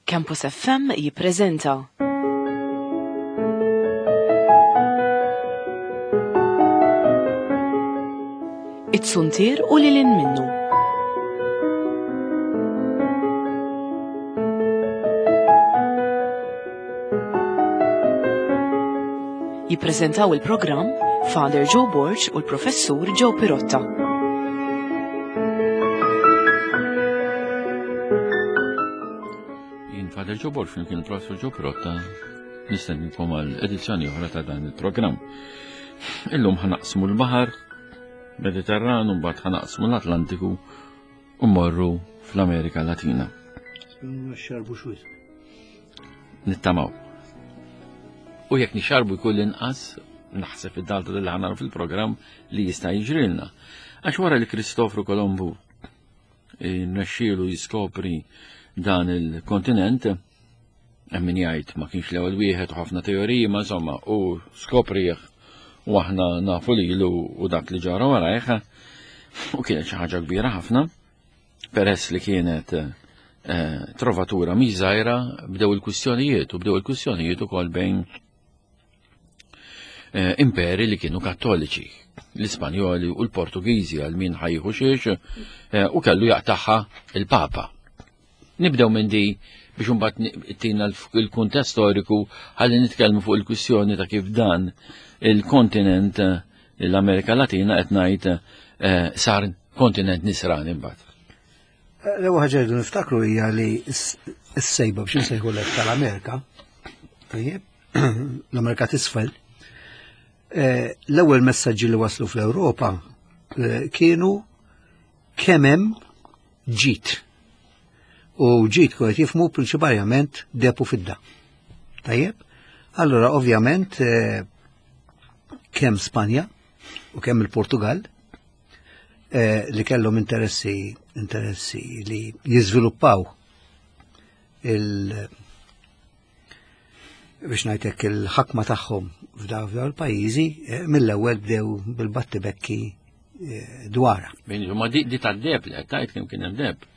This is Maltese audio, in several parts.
Campus FM jippreżenta. It-Suntier u lil hinn minnu. Jippreżentaw il-programm Father Joe Borg u l-Professur Joe Pirotta. Jien Father Joe Borg flimkien il-Professur Joe Pirotta nistennikom għal edizzjoni oħra ta' dan il-programm. Illum ħanaqsmu l-baħar Mediterran u mbagħad ħanaqsmu l-Atlantiku u mmorru fl-Amerika Latina. Xarbu xwis. Nittamaw. U jekk nixarbu jkun l-inqas, naħseb id-dalta li ħanaru fil-programm li jista' jiġrilna. Għax wara li Kristofru Kolombu eh, nexxielu jiskopri dan il-kontinent, hemm min jgħid ma kienx l-ewwel wieħed u ħafna teoriji, ma insomma, u skoprih u aħna nafu lilu u dak li ġara warajh, u kienet xi ħaġa kbira ħafna, peress li kienet eh, trovatura mhix żgħira bdew il-kwistjonijiet u bdew il-kwistjonijiet ukoll bejn eh, imperi li kienu kattoliċi, l-Ispanjoli u l-Portugiżi għal min ħajħu xiex eh, u kellu jaqtaħħa il-Papa. Nibdew minn di biex imbagħad tina l-kuntest storiku ħalli nitkellmu fuq il-kwistjoni ta' kif dan il-kontinent eh, l-Amerika Latina qed ngħid eh, sar kontinent nisrani mbagħad. Eh, l-ewwel ħaġa rridu niftakru hija li s-sejba biex insejħu l tal-Amerika, tajjeb, l-Amerika t'isfel, l-ewwel messaġġi li waslu fl-Ewropa kienu kemm hemm ġid. U ġid kienet jifmu prinċipalment depu fidda. Tajjeb? Allora, ovvjament, eh, kemm Spanja u kemm il-Portugal eh, li kellhom interessi interessi li jiżviluppaw il biex ngħidlek il-ħakma tagħhom f'dawn il-pajjiżi eh, mill-ewwel bdew bil-battibekki eh, dwarha. Ma di, di tad-deb li qed tgħid kemm kien hemm deb.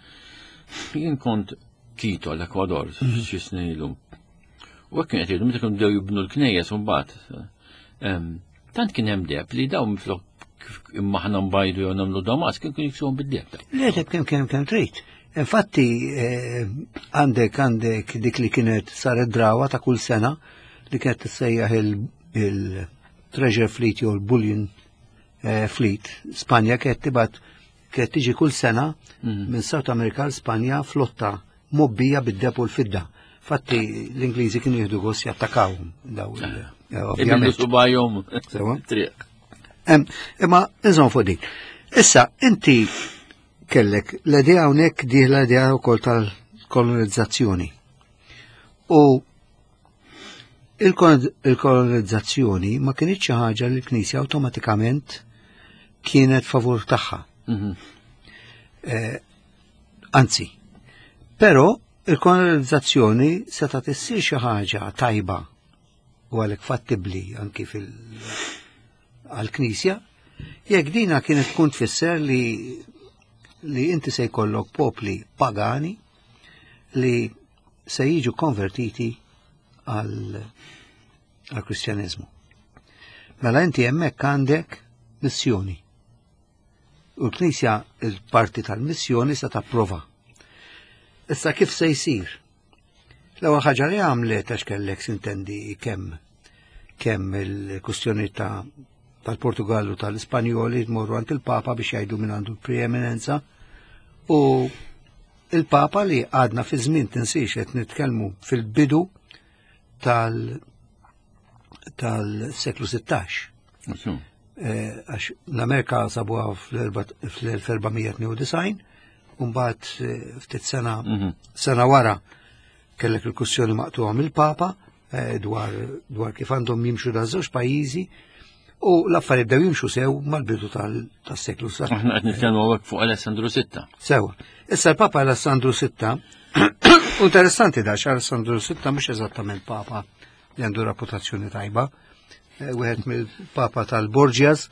Jien kont Quito l-Ekwador mhm. xi snin ilu. U hekk kien qed jgħidu meta kienu bdew jibnu l-knejjes u mbagħad. Tant kien hemm deb li dawn minflok imma ħna mbajdu jew nagħmlu damas kien kienu jiksuhom bid-deb. Le deb kemm kemm kemm trid. Infatti eh, għandek għandek dik li kienet saret drawa ta' kull sena li kienet tissejjaħ il-Treasure Fleet jew il-Bullion eh, Fleet. Spanja kienet tibgħat kienet tiġi kull sena mhm. minn South America l Spanja flotta mobbija bid-deb u l-fidda. Fatti l-Ingliżi kienu jieħdu gost jattakawhom daw il- eh, ovvjament. Subajhom. Triq. Imma inżomm fuq din. Issa inti kellek l-idea hawnhekk dieħla l-idea wkoll tal-kolonizzazzjoni. U il-kolonizzazzjoni ma kienx xi ħaġa li l-Knisja awtomatikament kienet favur tagħha. Mhm. Eh, anzi, però il-kolonizzazzjoni seta' tissir xi ħaġa tajba u għalhekk fattibbli anki fil għall-Knisja, jekk dina kienet tkun tfisser li li inti se jkollok popli pagani li se jiġu konvertiti għal għal kristjaneżmu. Mela inti hemmhekk għandek missjoni. U l-Knisja il-parti tal-missjoni se tapprova. Issa kif se jsir? L-ewwel ħaġa li għamlet għax kellek sintendi kemm kemm il-kustjoni ta' tal-Portugallu tal-Ispanjoli tmorru għand il-Papa biex jgħidu minn għandu l-preeminenza u il-Papa li għadna fi żmien tinsiex qed nitkellmu fil-bidu tal tal-seklu 16. Eh, għax l-Amerika sabuha fl-1492, mbagħad eh, ftit sena mhm. sena wara kellek il-kussjoni maqtuha mill-Papa eh, dwar dwar kif għandhom jimxu da żewġ pajjiżi u l-affarijiet bdew jimxu sew mal-bidu tas-seklu sa. Aħna qed nitkellmu hawnhekk fuq Alessandru VI. Sewa. Issa l-Papa Alessandru VI interessanti da Alessandru VI mhux eżattament Papa li għandu reputazzjoni tajba. Eh, wieħed mill-Papa tal-Borgias.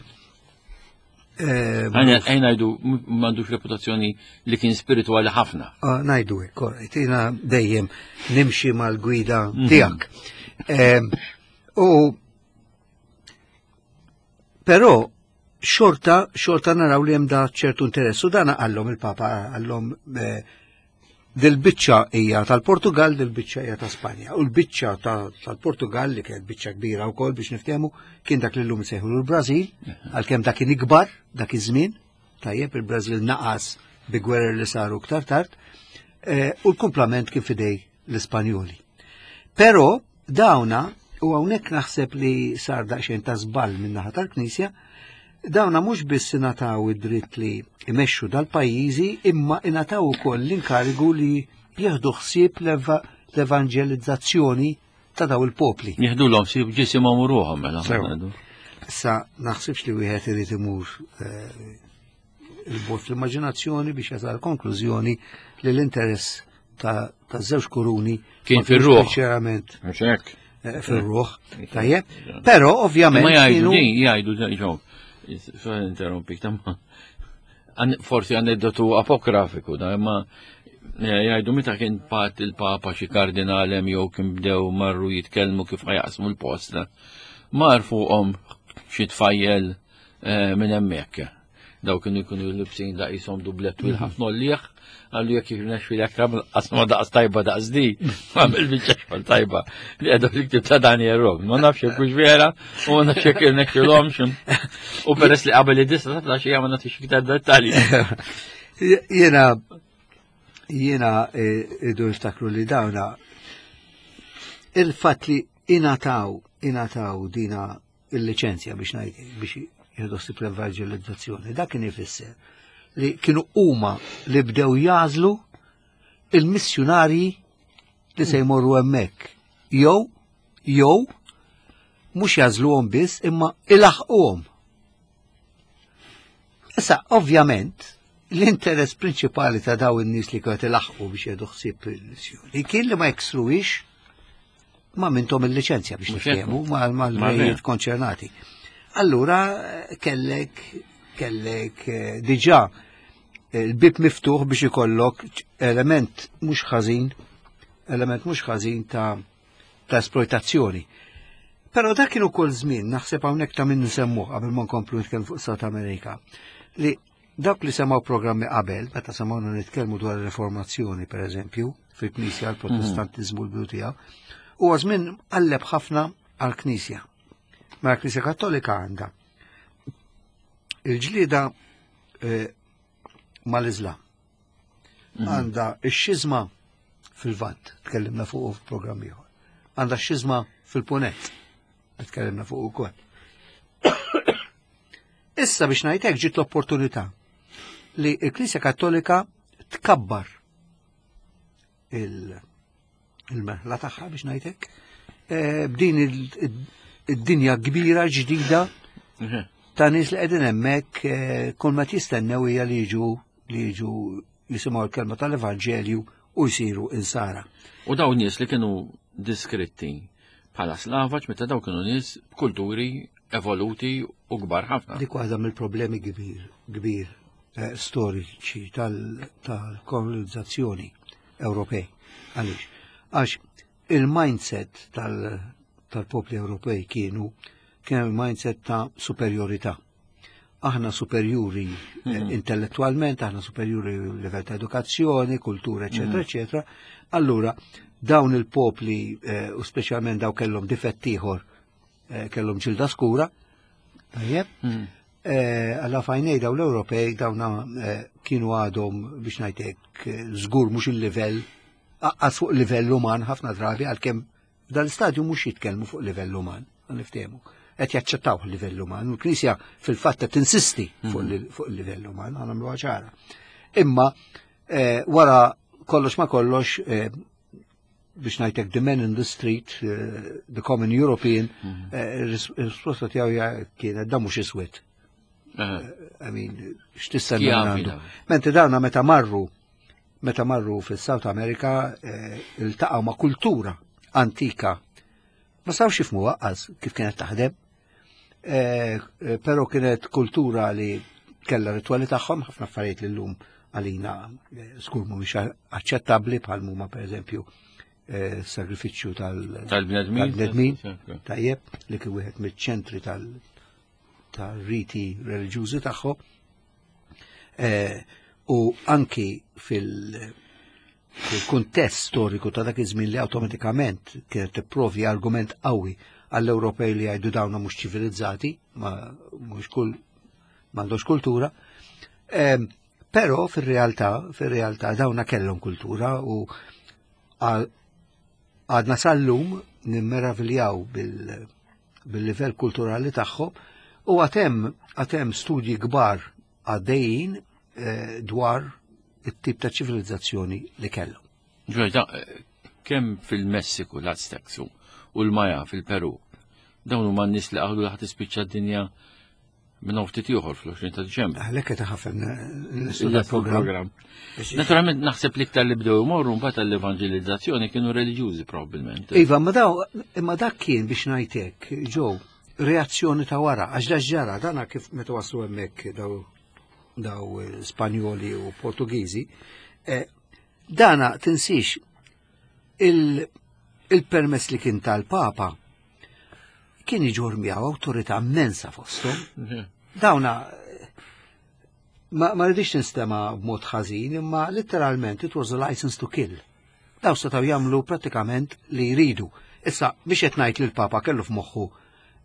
Għajn ngħidu m'għandux reputazzjoni li kien spiritwali ħafna. Ah, ngħidu hekk, jiena dejjem nimxi mal-gwida mhm. tiegħek. U però xorta xorta naraw li hemm da ċertu interess u dan qallhom il-Papa qallhom eh, dil-biċċa hija tal-Portugal, dil-biċċa hija ta' Spanja. U l-biċċa tal-Portugal li kienet biċċa kbira wkoll biex niftehmu kien dak li llum sejħu l-Brażil, għalkemm dak kien ikbar dak iż-żmien, tajjeb il-Brażil naqas bi gwerer li saru iktar tard, eh, u l-kumplament kien fidej l-Ispanjoli. Però dawna, u hawnhekk naħseb li sar daqsxejn ta' żball min-naħa tal-Knisja, dawna mhux biss ingħataw id-dritt li jmexxu dal-pajjiżi imma ingħataw ukoll l-inkarigu li jieħdu ħsieb l-evanġelizzazzjoni ta' daw il-popli. Jieħdu l ħsieb ġisimhom u ruħhom mela. Issa naħsibx li wieħed irid imur eh, il-bot fl-immaġinazzjoni biex jasal konklużjoni li l-interess ta' żewġ kuruni kien fir-ruħ. Sinċerament. Eh, fir-ruħ. Tajjeb. Però ovvjament. Ma jgħidu din, jgħidu ġew. Interrompik tamma. Forsi aneddotu apografiku, da imma eh, jgħidu meta kien pat il-papa xi kardinal hemm jew kien bdew marru jitkellmu kif ħajaqsmu l-post. Mar fuqhom xi tfajjel eh, minn hemmhekk. Daw kienu jkunu libsin da jisom dublet twil ħafna ollieħ, għallu jekk jirnexxi lek tagħmel qasma daqs tajba daqs di, għamil biċċa xogħol tajba li għadu fil-ktib ta' Daniel Rob. Ma nafx jekk hux vera u ma nafx jekk irnexxilhomx. U peress li qabel id-disa ta' flaxija ma nagħtix iktar dettalji. Jiena jiena eh, idu niftakru li dawna il-fatt li ingħataw ingħataw dina il-liċenzja biex ngħid biex jieħdu ħsieb l-evanġelizzazzjoni. Dak kien ifisser li kienu huma li bdew jażlu il-missjunarji li se jmorru hemmhekk. Jew jew mhux jażluhom biss imma ilaħquhom. Issa, ovvjament, l-interess prinċipali ta' daw in-nies li kienu ilaħqu biex jieħdu ħsieb il-missjoni kien li ma jeksruwix ma mintom il-liċenzja biex niftehmu mal-rejiet konċernati. Allura kellek kellek eh, diġà eh, il-bib miftuħ biex ikollok element mhux ħażin, element mhux ħażin ta' ta' esploitazzjoni. Però dak kienu kol żmien, naħseb hawnhekk ta' min nsemmuh qabel ma nkomplu nitkellmu fuq South America, li Dawk li semgħu programmi qabel, meta semgħuna nitkellmu dwar ir-Reformazzjoni, per eżempju, fil-Knisja, l-Protestantiżmu l-bidu tiegħu, huwa żmien qalleb ħafna għall-Knisja. Ma l-Knisja Kattolika għandha il-ġlieda eh, mal-Iżlam. Mhm. Għandha x-xiżma fil-Vant, tkellimna fuq f'programm ieħor. Għandha x-xiżma fil-Punent, tkellimna fuq ukoll. Issa biex ngħid hekk ġiet l-opportunità li l-Knisja Kattolika tkabbar il-merħla tagħha biex ngħid hekk eh, b'din id-dinja kbira ġdida mhm. ta' nies li qegħdin hemmhekk eh, kull ma jistennew hija li jiġu li jiġu jisimgħu l-kelma tal-Evanġelju u jsiru insara. U dawn nies li kienu diskritti bħala slavaġ meta daw kienu nies b'kulturi evoluti u kbar ħafna. Dik waħda mill-problemi kbir, kbir eh, storiċi tal-kolonizzazzjoni Ewropej. Għaliex? Għax il-mindset tal-popli Ewropej kienu kien il-mindset ta' superjorità. Aħna superjuri eh, mhm. intellettualment, aħna superjuri livell ta' edukazzjoni, kultura, eccetera, mhm. eccetera. Allura, dawn il-popli, eh, u speċjalment daw kellhom difett ieħor Eh, kellhom ġilda skura, tajjeb. Mm. Eh, alla fajnej daw l-Ewropej dawna eh, kienu għadhom biex ngħidlek żgur mhux il-livell aqqas fuq livell uman ħafna drabi għalkemm f'dan l-istadju mhux jitkellmu fuq livell uman, niftehmu. Qed jaċċettaw livell uman, u l-Knisja fil-fatt qed tinsisti fuq mm. il-livell uman, għamlu ċara. Imma wara kollox ma kollox biex ngħidlek the man in the street, eh, the common European, mhm. eh, risposta tiegħu kienet da mhux iswed. Eh, I mean, x'tistenna għandu. Mentri dawna meta marru meta marru fis-South America iltaqgħu ma' kultura antika. Ma sawx jifhmu waqqas kif kienet taħdem, però kienet kultura li Kella ritwali tagħhom ħafna affarijiet li llum għalina eh, skur mhumiex aċċettabbli bħal huma pereżempju eh, sagrifiċċju tal-bnedmin. Tajjeb, li kien wieħed miċ-ċentri tal-riti reliġjużi tagħhom. Eh, u anki fil- fil-kuntest storiku ta' dak iż-żmien li awtomatikament kienet tipprovdi argument qawwi għall-Ewropej li jgħidu dawna mhux ċivilizzati, ma mhux kull m'għandhomx kultura. Ehm, però fir-realtà, fir-realtà dawna kellhom kultura u għadna sal-lum nimmeraviljaw bil-livell kulturali tagħhom u għatem għatem studji kbar għaddejjin eh, dwar it-tip ta' ċivilizzazzjoni li kellhom. Ġwejda, eh, kemm fil-Messiku l-Aztecs u l-Maja fil-Peru, dawn huma n-nies li qalu li ħadd tispiċċa d-dinja minn ftit ieħor fl-20 ta' Diċembru. Għalhekk qed ħafna l-programm. Naturalment naħseb li iktar li bdew imorru mbagħad għall-evanġelizzazzjoni kienu reliġjużi probabbilment. Iva, ma daw imma dak kien biex ngħidlek, ġew reazzjoni ta' wara, għax da ġara, dana kif meta waslu hemmhekk daw daw Spanjoli u Portugiżi, eh, dana tinsix il-permess li kien tal-Papa kien iġur miegħu awtorità immensa fosthom. Mhm. Dawna ma, ma rridix nistema b'mod ħażin, imma letteralment it was a license to kill. Daw setgħu jagħmlu prattikament li jridu. Issa biex qed ngħid li l-Papa kellu f'moħħu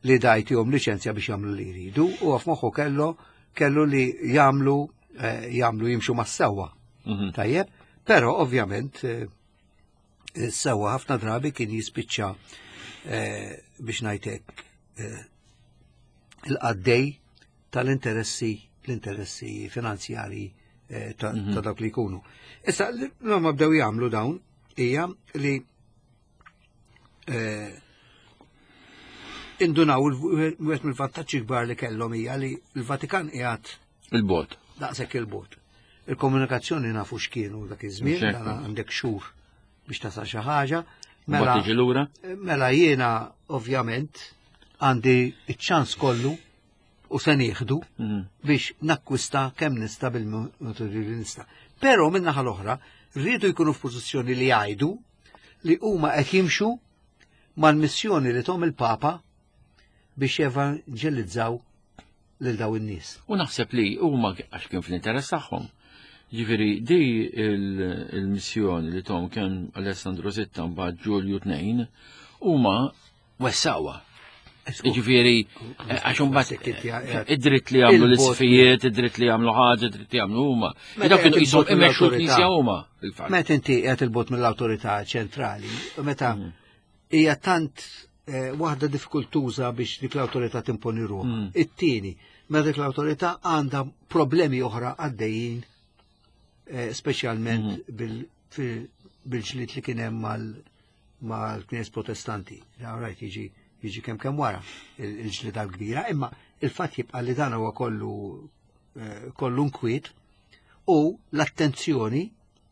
li dajtihom liċenzja biex jagħmlu li jridu, u f'moħħu kellu kellu li jagħmlu eh, jagħmlu jimxu mas-sewwa. Mhm. Tajjeb, però ovvjament eh, sewwa ħafna drabi kien jispiċċa eh, biex ngħidlek il-qaddej tal-interessi l-interessi finanzjari ta' mhm. dawk li jkunu. Issa, li ma bdew jagħmlu dawn hija li eh, indunaw il-wieħed mill-vantaġġi kbar li kellhom hija li l-Vatikan qiegħed il-bot. Daqshekk il-bot. Il-komunikazzjoni nafu x'kienu dak iż-żmien, dan għandek xhur biex tasal xi ħaġa. Mela, mela jiena ovvjament għandi iċ-ċans kollu u se nieħdu mhm. biex nakkwista kemm nista' bil-metodi li nista'. Però min-naħa l-oħra rridu jkunu f'pożizzjoni li jgħidu li huma qed jimxu mal-missjoni li tom il-Papa biex jevanġelizzaw lil daw in-nies. U naħseb li huma għax kien fl-interess tagħhom. Ġifieri di il-missjoni li tom kien Alessandro Sitta mbagħad Ġulju 2 huma wessawa. Ġifieri, eh, għax imbagħad eh, id-dritt li jagħmlu l-isfijiet, id-dritt li jagħmlu ħaġa, id-dritt li jagħmlu huma. Dak kienu qishom imexxu l-Knisja huma. Meta inti qiegħed il-bot mill-awtorità ċentrali, meta mm. hija tant eh, waħda diffikultuża biex dik l-awtorità timponi ruħha. Mm. It-tieni, meta dik l-awtorità għandha problemi oħra għaddejjin speċjalment mm. bil-ġlied li kien hemm mal mal-knies protestanti. Rajt jiġi jiġi kemm kemm wara il-ġlida l-kbira, imma il-fatt jibqa' li dan huwa kollu eh, kollu nkwiet u l-attenzjoni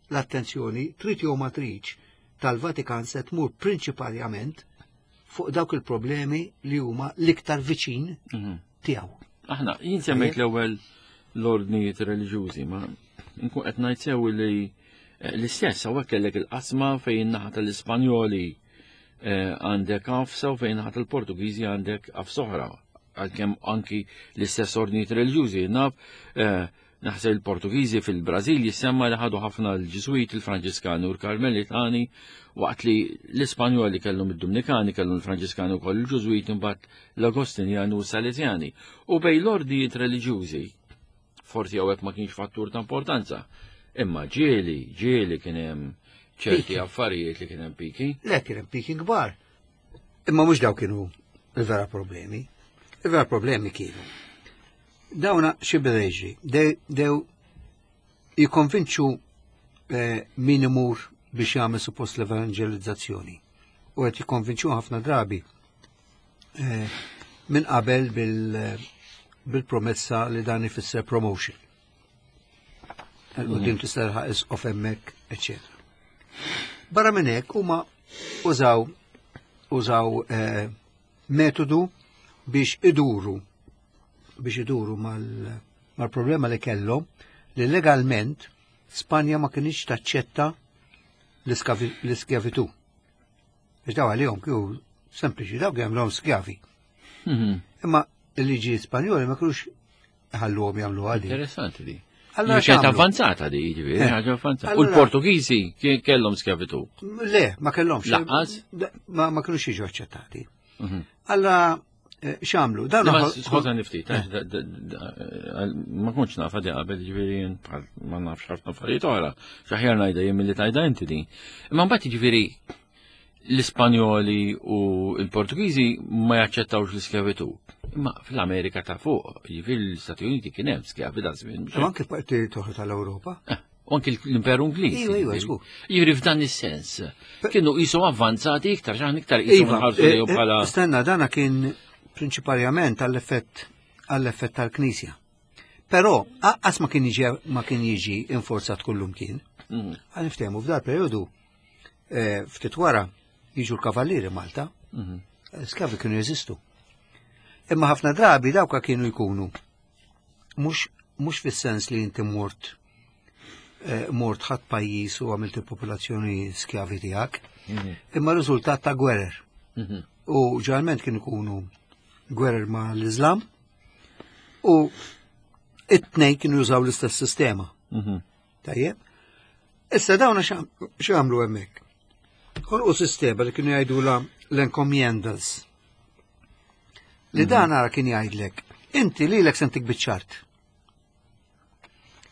l-attenzjoni trid jew ma tridx tal-Vatikan se tmur prinċipalment fuq dawk il-problemi li huma l-iktar viċin mhm. tiegħu. Aħna, jien semmejt l-ewwel l-ordnijiet reliġjużi, ma nkun qed ngħid sew li eh, l-istess hawnhekk kellek il-qasma fejn naħa tal-Ispanjoli eh, għandek għafsa u fejn naħa tal-Portugiżi għandek għafsa oħra għalkemm anki l-istess ordnijiet reliġjużi naf eh, Naħseb il-Portugiżi fil-Brażil jissemma li ħadu ħafna l-Ġiżwiti, il-Franġiskani u l-Karmelitani, waqt li l-Ispanjoli kellhom id-Dumnikani, kellhom il-Franġiskani wkoll il-Ġużwiti, mbagħad l-Agostinjani u s-Salesjani. U bejn l-ordijiet reliġjużi, forsi hawnhekk ma kienx fattur ta' importanza, imma ġieli, ġieli kien hemm ċerti affarijiet li kien hemm piki. Le kien hemm piki kbar. Imma mhux daw kienu il-vera problemi. Il-vera problemi kienu Dawna xi beda jiġri? Dew jikkonvinċu eh, min imur biex jagħmel suppost l-evangelizzazzjoni. U qed jikkonvinċu ħafna drabi eh, minn qabel bil-promessa li dan ifisser promotion. Il-qudiem mm. tista' tilħaq isqof hemmhekk, eċetera. Barra minn hekk huma użaw użaw eh, metodu biex iduru biex iduru mal mal-problema li kellhom li legalment Spanja ma kienx taċċetta l-iskjavitu. Biex daw għalihom kienu sempliċi dawk jagħmluhom skjavi. Imma il-liġi Spanjoli ma kienux ħalluhom jagħmlu għadi. Interessanti di. Allora kienet avvanzata di, jiġifieri, eh. ħaġa avvanzata. U l-Portugiżi kellhom skjavitu? Le, ma kellhomx. Laqqas? Ma kinux jiġu aċċettati. Mhm. Alla eh, x'għamlu? Dan Skuża niftit, eh. ma kontx nafa di qabel, jiġifieri ma nafx ħafna affarijiet oħra. X'aħjar ngħidha jien milli tajda inti din. Imma mbagħad jiġifieri l-Ispanjoli u l-Portugiżi ma jaċċettawx l-iskjavitu. Imma fl-Amerika ta' fuq, jiġifieri l-Istati Uniti kien hemm skjavi da' żmien. U anke parti toħra tal-Ewropa. Eh, u anke l-Imperu Ingliż. Iva, iva, żgur. Jiġifieri f'dan is-sens. Kienu qishom avvanzati iktar, x'aħna iktar qishom iva, nħarsu eh, lejhom bħala. Stenna, dana kien prinċiparjament għall-effett għall-effett tal-Knisja. Però aqqas ma kien jiġi ma kien jiġi inforzat kullum kien. Għal niftehmu f'dal periodu eh, ftit wara jiġu l-kavallieri Malta, mhm. skavi kienu jeżistu. Imma ħafna drabi dawka kienu jkunu mhux mhux fis-sens li inti mort eh, mort ħadd pajjiż u għamilt il-popolazzjoni skjavi tiegħek, mhm. imma riżultat ta' gwerer. Mhm. U ġeneralment kienu jkunu gwerer ma' l-Islam u it-tnejn kienu jużaw l-istess sistema. Tajjeb. Issa dawna x'għamlu hemmhekk? Ħolqu sistema li kienu jgħidula l-encomiendas. Li mhm. dan ara kien jgħidlek, inti lilek sentik biċ-ċart.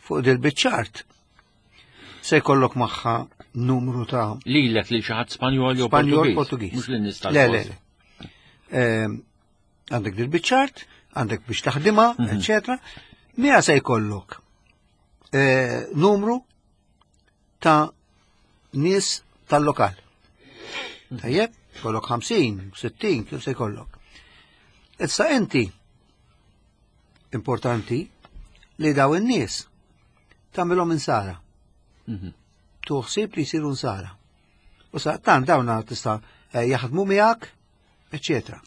Fuq dil biċ-ċart se jkollok magħha numru ta' Lilek li xi ħadd Spanjol jew Spanjol Portugiż. Mhux lin nies Le, le, le. Ehm, għandek dil biċ-ċart, għandek biex taħdimha, mhm. eċetera. Mija se jkollok eh, numru ta' nies tal-lokal. Tajjeb, kollok 50, 60, kif se jkollok. Issa inti importanti li daw in-nies tagħmilhom insara. Mhm. Tuħsib li jsiru insara. U sa tant dawna tista' eh, jaħdmu miegħek, eċetera.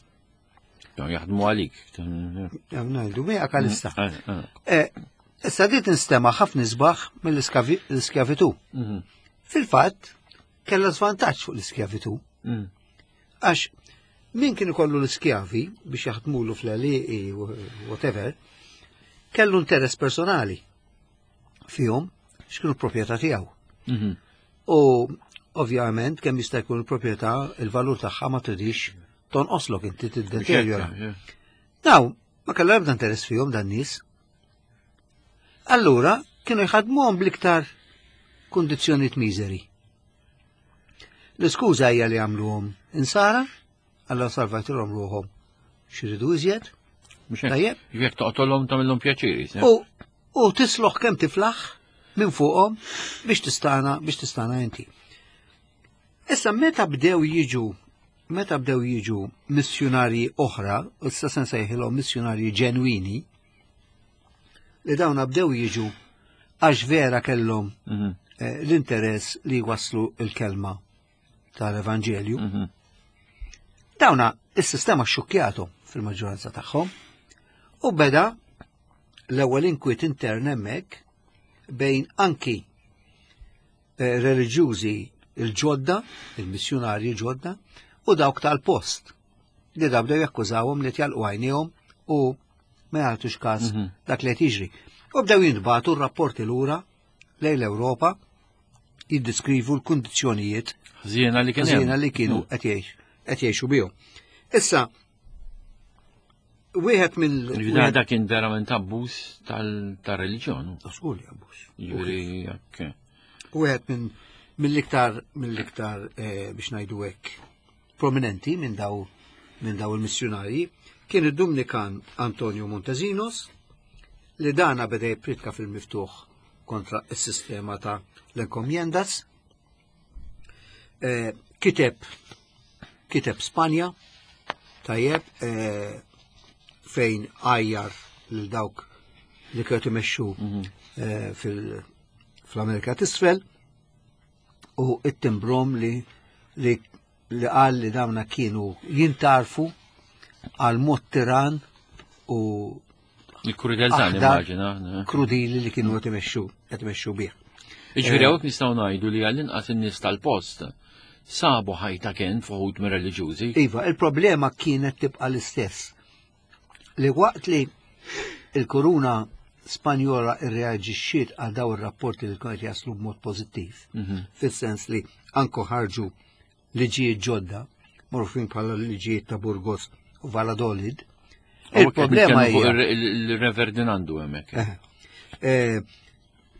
Jaħdmu għalik. Ngħidu miegħek għalissa. Mm, eh, eh. Eh, issa di tinstema' ħafna isbaħ mill-iskjavitu. Mhm. Fil-fatt, kellha żvantaġġ fuq l-iskjavitu. Mm. Għax min kien ikollu l-iskjavi biex jaħdmulu fl-għaliqi whatever, kellu interess personali fihom x'kienu proprjetà tiegħu. Mhm. U ovvjament kemm jista' jkun il-proprjetà il-valur tagħha ma tridix tonqoslok inti tiddeterjora. Daw, ma kellha ebda interess fihom dan nies. Allura kienu jħadmuhom bl-iktar kundizzjonijiet miżeri. L-iskuża hija li għamluhom insara, alla salvatilhom ruħhom xiridu iżjed. Tajjeb. Jekk toqtolhom tagħmilhom pjaċiri. U u tisloħ kemm tiflaħ minn fuqhom biex tistana biex tistana inti. Issa meta bdew jiġu meta bdew jiġu missjunarji oħra, issa se nsejħilhom missjunarji ġenwini, li dawna bdew jiġu għax vera kellhom mhm. eh, l-interess li waslu il-kelma tal-Evanġelju. Mhm. Dawna is-sistema xukjatu fil-maġġoranza tagħhom u beda l-ewwel inkwiet intern hemmhekk bejn anki eh, reliġjużi il-ġodda, il-missjunarji ġodda, u dawk tal-post li da bdew jakkużawhom li tjalqu għajnejhom u ma jagħtux każ mhm. dak li qed jiġri. U bdew jintbagħtu r-rapporti lura lejn l-Ewropa jiddiskrivu l-kundizzjonijiet ħżiena li kienu ħżiena li kienu mhm. qed jgħixu bihom. Issa, wieħed mill. Da kien verament abbuż tal-reliġjon. Żgur li abbuż. Jiġifieri jekk. Wieħed minn mill-iktar mill-iktar eh, biex ngħidu hekk prominenti minn daw minn daw il-missjunarji kien id-Dumnikan Antonio Montezinos li dana beda jippritka fil-miftuħ kontra s-sistema ta' l-encomiendas Eh, kiteb kiteb Spanja tajjeb eh, fejn għajjar lil dawk li kienu imexxu mhm. eh, fil-Amerika t'isfel u it-timbrom li li li qal li dawna kienu jintarfu għal mod tiran u Il-krudeltà nimmaġina. Krudili li kienu qed imexxu qed imexxu bih. Jiġifieri hawnhekk nistgħu ngħidu li għall-inqas in-nies tal-post sabu ħajta kien fuħud mir-reliġjużi. Iva, il-problema kienet tibqa' l-istess. Li waqt li il-kuruna Spanjola irreaġixxiet għal daw ir-rapporti li kienet jaslu b'mod pożittiv, fis-sens li anko ħarġu liġijiet ġodda, magħrufin bħala liġijiet ta' Burgos u Valladolid. Il-problema hija il-Re Ferdinandu hemmhekk. Eh, eh,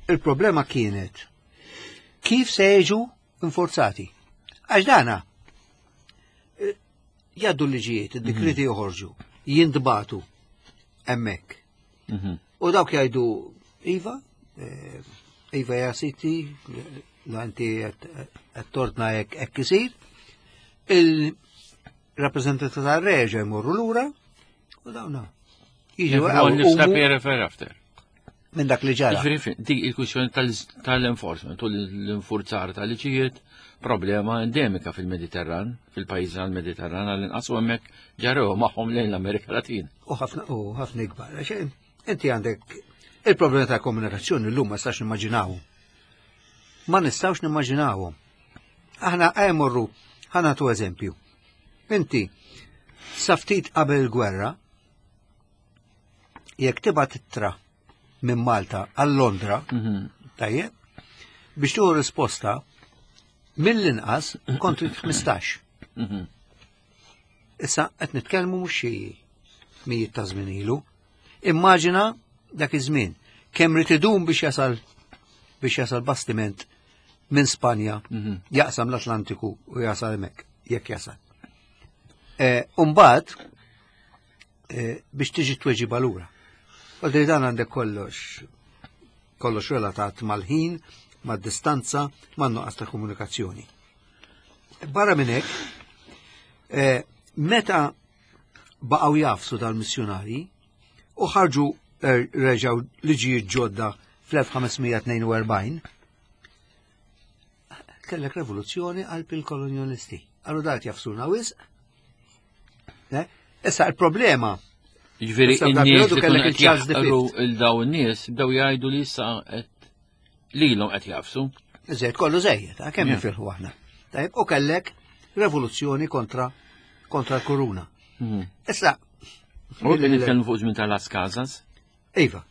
il-problema kienet kif se jiġu inforzati. Għax dana eh, jaddu l-liġijiet, id-dikreti joħorġu, jintbatu hemmhekk. U dawk jgħidu, Iva, eh, Iva ja siti, la inti qed tortna hekk hekk isir. Il-rappreżentanti tar-reġa jmorru lura u dawna. Jiġu after. Minn dak li ġara. Ġifieri dik il-kwistjoni tal-enforcement u l-infurzar tal-liġijiet problema endemika fil-Mediterran, fil-pajjiż tal-Mediterran għall-inqas u hemmhekk ġarew magħhom lejn l-Amerika Latina. U ħafna u ħafna ikbar. Inti għandek il-problema ta' komunikazzjoni llum ma nistax nimmaġinaw. Ma nistawx nimmaġinawhom. Aħna morru ħanatu eżempju. Inti sa ftit qabel il-gwerra jekk tibgħat ittra minn Malta għal Londra, tajjeb, biex tieħu risposta mill-inqas kont trid 15. Issa qed nitkellmu mhux xi mijiet ta' żmien ilu. Immaġina dak iż-żmien kemm rid idum biex jasal biex jasal bastiment minn Spanja jaqsam l-Atlantiku u jasal hemmhekk jekk jasal. Eh, Umbagħad eh, biex tiġi tweġiba lura. Għaldi dan għandek kollox kollox relatat mal-ħin, mad-distanza, man-nuqqas ta' komunikazzjoni. Barra minn hekk, eh, meta baqgħu jafsu dal-missjunari u ħarġu er, reġgħu liġijiet ġodda fl-1542, kellek revoluzzjoni qalb il-kolonjalisti. Għallu dat jafsuna wisq. Eh? Issa il-problema. Ġifieri in-nies li kellek il-Charles il-daw in-nies bdew jgħidu li issa qed lilhom qed jafsu. Iżjed kollu żejjed, ah, kemm nifirħu aħna. Tajb, u kellek revoluzzjoni kontra kontra l-kuruna. Issa. U nitkellmu fuq żmien tal-Las Casas? Iva.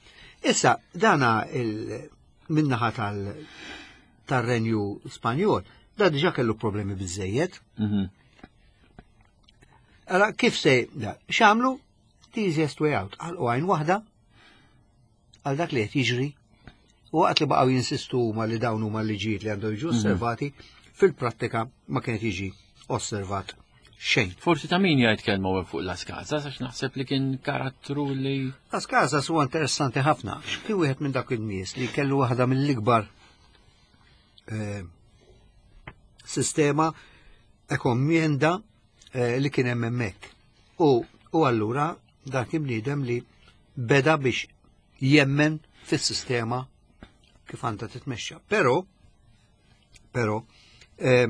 Issa, dana il-minnaħa tal-renju Spanjol, da diġa kellu problemi biżejjed. Allora, kif se, da, xamlu? The easiest way out. Għal għajn waħda, għal dak li qed jiġri, u waqt li baqgħu jinsistu huma li dawn huma liġijiet li għandhom jiġu mhm. osservati, fil-prattika ma kienet jiġi osservat xejn. Forsi ta' min jgħid kelma fuq Las Casas għax naħseb li kien karattru li. Las Casas huwa interessanti ħafna. Kien wieħed minn dak in-nies li kellu waħda mill-ikbar eh, sistema ekommienda eh, li kien hemm hemmhekk. U, u allura dak kien bniedem li beda biex jemmen fis-sistema kif għandha titmexxa. Però, però, eh,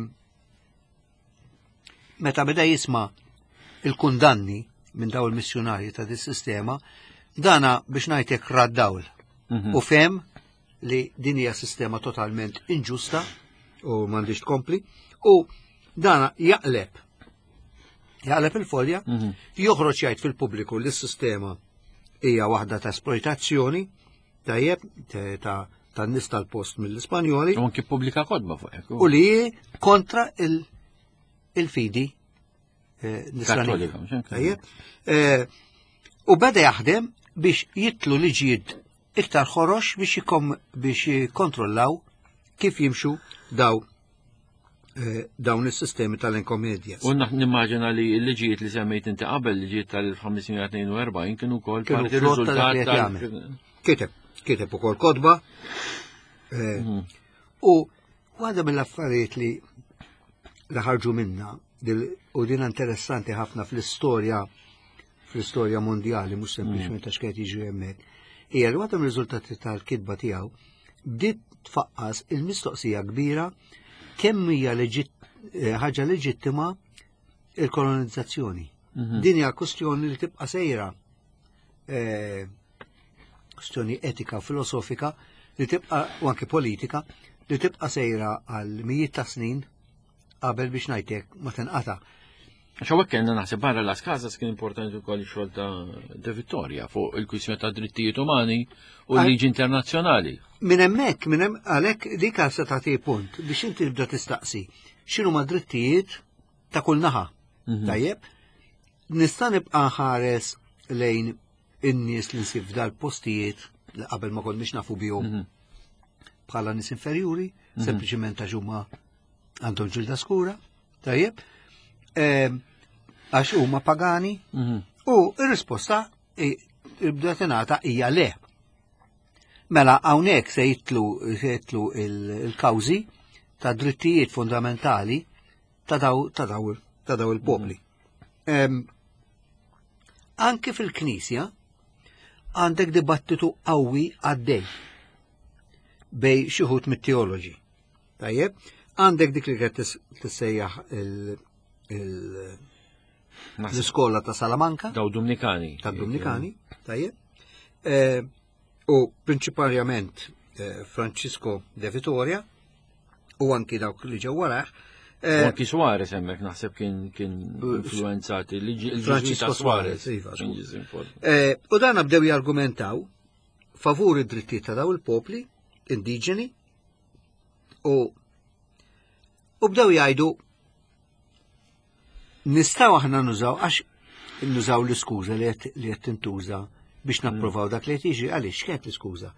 meta beda jisma' il-kundanni minn daw il-missjunarji ta' dis sistema, dana biex ngħidlek raddawl. U fem li din hija sistema totalment inġusta u m'għandix tkompli u dana jaqleb jaqleb il-folja, mhm. joħroġ jgħid fil-pubbliku li s-sistema hija waħda ta' esploitazzjoni tajjeb ta' tan-nies tal-post mill-Ispanjoli. U anki pubblika kodba fuq hekk. U li kontra il-fidi eh, nisranija. Tajjeb. Eh, u beda jaħdem biex jitlu liġijiet iktar ħorox biex jikom biex jikkontrollaw kif jimxu daw eh, dawn is-sistemi tal-enkomedjas. U nimmaġina li l-liġijiet li semmejt inti qabel, liġijiet tal-1542 kienu wkoll parti riżultat tal Kiteb, kiteb ukoll kotba. Eh, u waħda mill-affarijiet li li ħarġu minna u din interessanti ħafna fl-istorja fl-istorja mondjali mhux sempliċement għax kienet jiġri hemmhekk, hija li waħda mir-riżultati tal-kitba tiegħu bdiet tfaqqas il-mistoqsija kbira kemm hija eh, ħaġa leġittima il-kolonizzazzjoni. Din hija kwestjoni li tibqa' sejra eh, kwestjoni etika u filosofika li tibqa' u anke politika li tibqa' sejra għal mijiet ta' snin qabel biex ngħidlek ma tinqata'. Għax hawnhekk kellna naħseb barra Las Casas kien importanti wkoll ix-xogħol ta' De Vittoria fuq il-kwistjoni ta' drittijiet umani u l-liġi internazzjonali. Minn hemmhekk, minn hemm għalhekk dik se tagħti punt biex inti tibda tistaqsi x'inhu ma drittijiet ta' kull naħa. Mhm. Tajjeb, nista' nibqa' ħares lejn in-nies li nsib f'dal-postijiet li qabel ma konniex nafu bihom mhm. bħala nies inferjuri, mhm. sempliċement għax huma għandhom ġilda skura, tajjeb, ehm, għax huma pagani, mhm. u r-risposta bda tingħata hija le. Mela hawnhekk se jitlu se jitlu il-kawżi ta' drittijiet fundamentali ta' daw ta' daw ta' daw il-popli. Ehm, anke fil-Knisja għandek dibattitu qawwi għaddej bej xi wħud mit-teoloġi. Tajjeb, għandek dik li qed tissejjaħ l-iskola ta' Salamanka. Daw Dumnikani. Ta' Dumnikani, tajjeb. Eh, u prinċipalment eh, Francisco de Vitoria u anki dawk li ġew warah. Eh, anki Suarez hemmhekk naħseb kien kien influenzati Francisco Suarez. Iva, u dan bdew jargumentaw favur id-drittijiet ta' daw il-popli indiġeni u u bdew jgħidu nistgħu aħna nużaw għax nużaw l-iskuża li qed tintuża biex mm. napprovaw dak li qed jiġri għaliex kienet l-iskuża.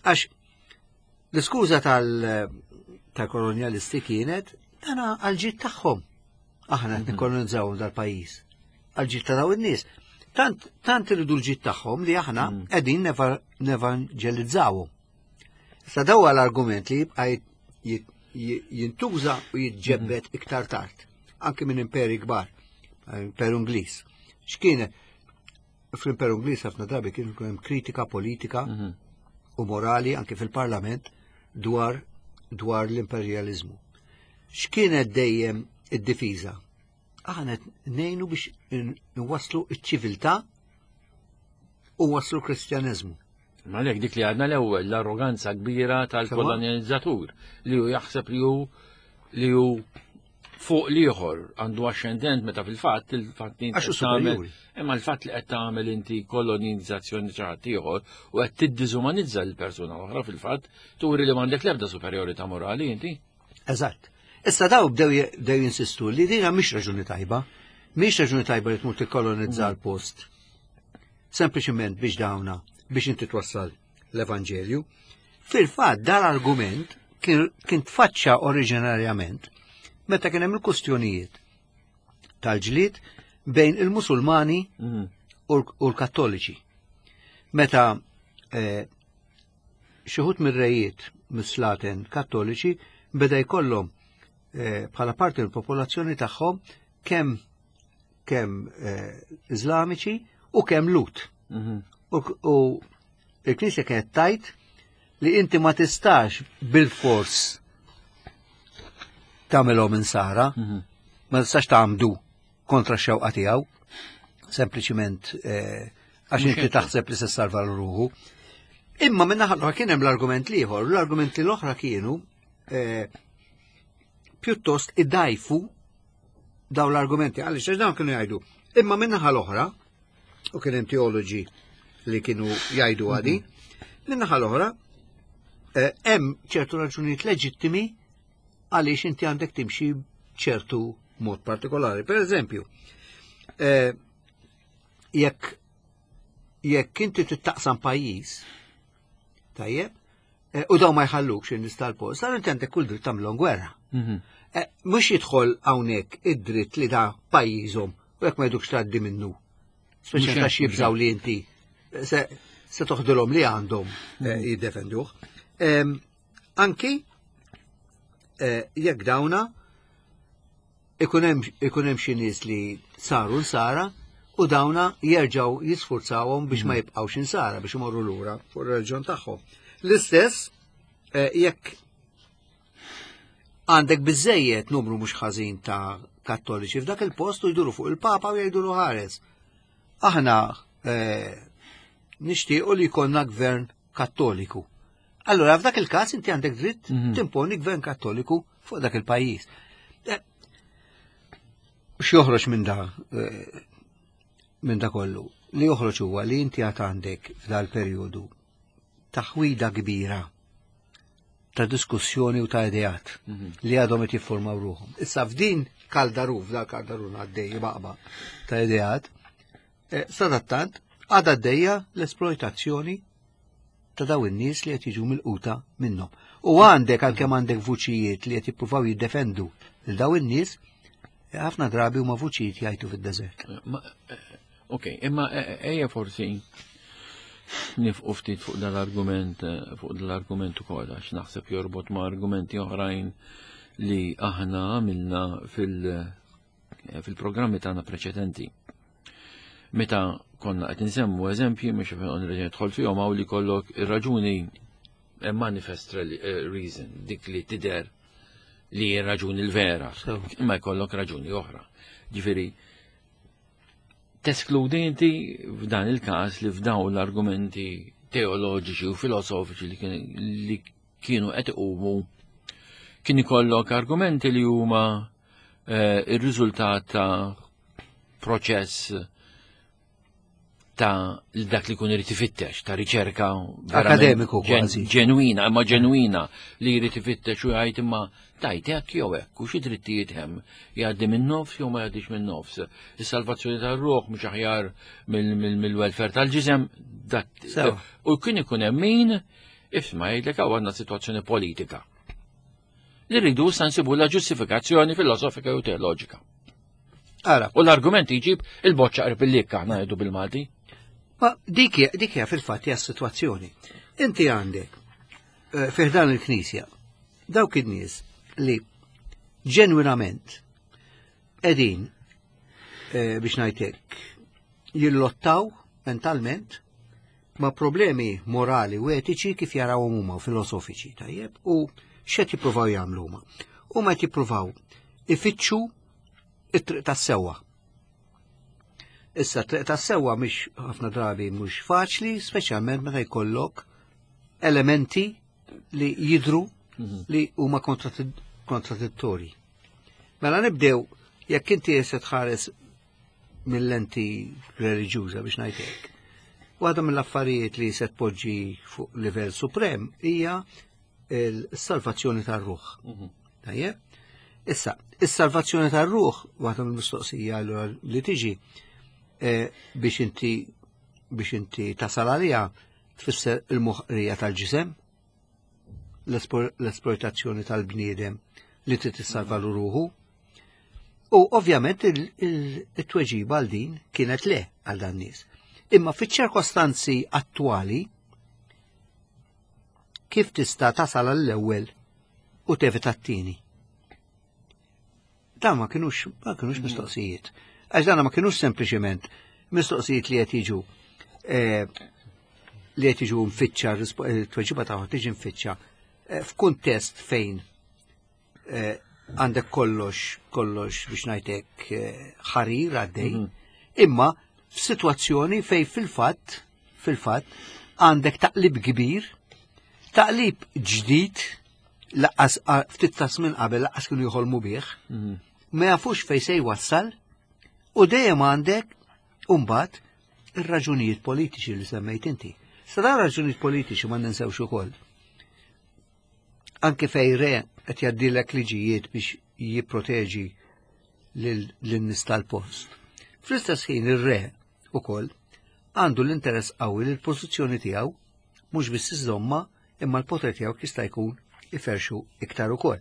Għax l-iskuża tal-kolonjalisti kienet dana għal-ġid tagħhom. Aħna qed mm-hmm. nikkolonizzaw dal-pajjiż. Għal-ġid ta' daw in-nies. Tant tant iridu l-ġid tagħhom li aħna mm. qegħdin nevanġelizzawhom. Sa daw l-argument li jibqa' jintuża u jitġebbed mhm. iktar tard, anki minn imperi kbar, imperu Ingliż. X'kien fl-imperu Ingliż ħafna drabi kien hemm kritika politika mhm. u morali anki fil-parlament dwar dwar l-imperjaliżmu. X'kienet dejjem id-difiża? Aħna ngħinu biex nwasslu ċ-ċiviltà u waslu kristjaneżmu. Ma lek dik li għadna l-ewwel l-arroganza kbira tal-kolonizzatur li hu jaħseb li hu li hu fuq l-ieħor għandu ascendent meta fil-fatt il-fatt li tagħmel imma l-fatt li qed tagħmel inti kolonizzazzjoni xi ħadd ieħor u qed tiddiżumanizza l-persuna oħra fil-fatt turi li m'għandek l-ebda superjorità morali inti. Eżatt. Issa daw bdew jinsistu li dina mhix raġuni tajba. Mhix raġuni tajba li tmur tikkolonizza mm. l-post. Sempliċement biex dawna biex inti twassal l-Evanġelju. Fil-fatt dal-argument kien tfaċċa oriġinarjament meta kien hemm il-kustjonijiet tal-ġlied bejn il-Musulmani mm. u l-Kattoliċi. Meta eh, xi wħud mir-rejiet mis-slaten Kattoliċi beda jkollhom eh, bħala parti mill-popolazzjoni tagħhom kemm kemm eh, Iżlamiċi u kemm Lut. Mhm. U il-Knisja kienet tajt li inti ma tistax bil-fors tagħmelhom insara, mhm. ma tistax tagħmdu kontra x-xewqa tiegħu, sempliċiment eh, għax inti taħseb li se salva l-ruħu. Imma minna ħallu kien hemm l-argument liħor, l-argumenti l-oħra kienu eh, pjuttost idajfu daw l-argumenti għaliex għax dawn kienu jgħidu. Imma minnaħa l-oħra, u kien hemm teoloġi li kienu jgħidu għadi, mhm. minnaħa l-oħra eh, hemm ċertu raġunijiet leġittimi għaliex inti għandek timxi ċertu mod partikolari. Per eżempju, eh, jekk jekk inti tittaqsam pajjiż, tajjeb, eh, u daw ma jħallukx in-nies tal-post, allura inti għandek kull dritt tagħmilhom gwerra. Mhm. Eh, mhux jidħol hawnhekk id-dritt li da pajjiżhom u jekk ma jdukx tgħaddi minnu. Speċjalment għax jibżaw li inti se, se toħdilhom li għandhom mhm. jiddefenduh. Anki eh, jekk dawna ikun hemm xi nies li saru nsara u dawna jerġgħu jisfurzawhom biex ma mhm. jibqgħux insara biex imorru lura fuq ir-reliġjon tagħhom. L-istess eh, jekk għandek biżejjed numru mhux ħażin ta' kattoliċi f'dak il-post u jduru fuq il-Papa u jgħidulu ħares. Aħna eh, nixtiequ li jkollna gvern kattoliku. Allura f'dak il-każ inti għandek dritt mhm. timponi gvern kattoliku fuq dak il-pajjiż. Eh, x'joħroġ minn da eh, minn da kollu? Li joħroġ huwa li inti għad għandek f'dal perjodu taħwida kbira ta' diskussjoni u ta' ideat mhm. li għadhom qed jiffurmaw ruħhom. Issa f'din kaldaru, f'dal kaldaru għaddej baqba ta' ideat, eh, sadattant għadha għaddejja l-esploitazzjoni ta' daw in-nies li qed jiġu milquta minnhom. U għandek għalkemm għandek vuċijiet li qed jippruvaw jiddefendu lil daw in-nies, eh, ħafna drabi huma vuċijiet jgħidu fid-deżert. Eh, ok, imma ejja forsi nifqu ftit fuq dal-argument fuq dal-argument ukoll għax naħseb jorbot ma' argumenti oħrajn li aħna għamilna fil- fil-programmi tagħna preċedenti. Meta konna qed insemmu eżempji mhux nreġa' nidħol fihom hawn li kollok ir-raġuni manifest eh, reason, dik li tidher li raġuni l-vera, imma jkollok raġuni oħra. Ġifieri, teskludi inti f'dan il-każ li f'dawn l-argumenti teoloġiċi u filosofiċi li kienu qed iqumu kien ikollok argumenti li huma eh, ir-riżultat ta' proċess ta' dak li kun irid ifittex, ta' riċerka akademiku kważi. Ġenwina, imma ġenwina li jrid ifittex u jgħid imma tajt hekk jew hekk u xi drittijiet hemm jgħaddi minn nofs jew ma jgħaddix minn nofs. Is-salvazzjoni tar-ruħ mhux aħjar mill-welfare tal-ġisem dak. U kien ikun hemm min isma' jgħidlek hawn għandna sitwazzjoni politika. Li rridu issa nsibu la ġustifikazzjoni filosofika u teoloġika. Ara. U l-argument jġib il-boċċa qrib il-likka aħna ngħidu bil-Malti. Ma dik dik hija fil-fatt hija s-sitwazzjoni. Inti għandek eh, fih dan il-Knisja dawk in-nies li ġenwinament qegħdin eh, biex ngħidlek jillottaw mentalment ma' problemi morali u etiċi kif jarawhom huma u filosofiċi, tajjeb, u x'qed jippruvaw jagħmlu huma. Huma qed jippruvaw ifittxu it-triq tas-sewwa. Issa triq tas-sewwa mhix ħafna drabi mhux faċli, speċjalment meta jkollok elementi li jidru mhm. li huma kontradittorji. Mela nibdew jekk inti se tħares mill-lenti reliġjuża biex ngħid hekk. Waħda mill-affarijiet li se tpoġġi fuq livell suprem hija l-salvazzjoni tar-ruħ. Mhm. Tajjeb? Issa, is-salvazzjoni tar-ruħ waħda mill-mistoqsija li tiġi eh, biex inti biex inti tasal għaliha tfisser il-moħqrija tal-ġisem, l-esploitazzjoni tal-bniedem li trid tissalva ruħu. U ovvjament il-tweġiba għal din kienet le għal dan nies. Imma fiċ-ċirkostanzi attwali kif tista' tasal għall-ewwel u tevita t-tieni? Dan ma kienux ma kienux mhm. mistoqsijiet. Għax dan ma kienux sempliċement mistoqsijiet li qed jiġu eh, li qed jiġu mfittxa eh, tweġiba tagħhom tiġi mfittxa eh, f'kuntest fejn għandek kollox kollox biex ngħidlek ħarir għaddej, mhm. imma f'sitwazzjoni fej fil-fatt fil-fatt għandek taqlib kbir, taqlib ġdid laqqas ftit ta' żmien qabel laqqas kienu jħolmu bih, mhm. ma jafux fej se jwassal u dejjem għandek mbagħad ir-raġunijiet politiċi li semmejt inti. Sa dawn raġunijiet politiċi ma ninsewx ukoll. Anke fej re qed jgħaddilek liġijiet biex jipproteġi lin-nies tal-post. Fl-istess ħin ir-re ukoll għandu l-interess qawwi li l-pożizzjoni tiegħu mhux biss iżomma imma l-poter tiegħu jista' jkun iferxu iktar ukoll.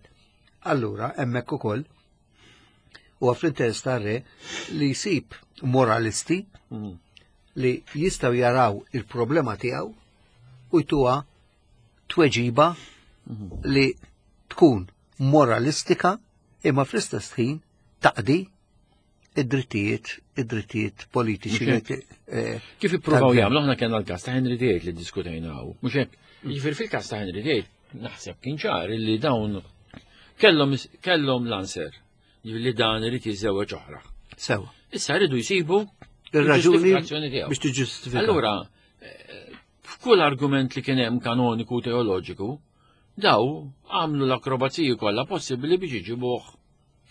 Allura hemmhekk ukoll huwa fl-interess tar-re li jsib moralisti mm. li jistgħu jaraw il-problema tiegħu u jtuha tweġiba mm. li tkun moralistika imma fl-istess ħin taqdi id-drittijiet id-drittijiet politiċi. Eh, Kif ippruvaw jagħmlu aħna kellna l-każ ta' Henry VIII li diskutejna hawn. Mhux hekk, jiġifieri fil-każ ta' Henry VIII naħseb kien ċar li dawn kellhom kellhom l-anser li dan irid jiżżewweġ oħra. Sewa. Issa rridu jsibu ir-raġuni biex tiġġustifika. Allura, eh, F'kull argument li kien hemm kanoniku u teoloġiku, daw għamlu l-akrobaziji kollha possibbli biex iġibuh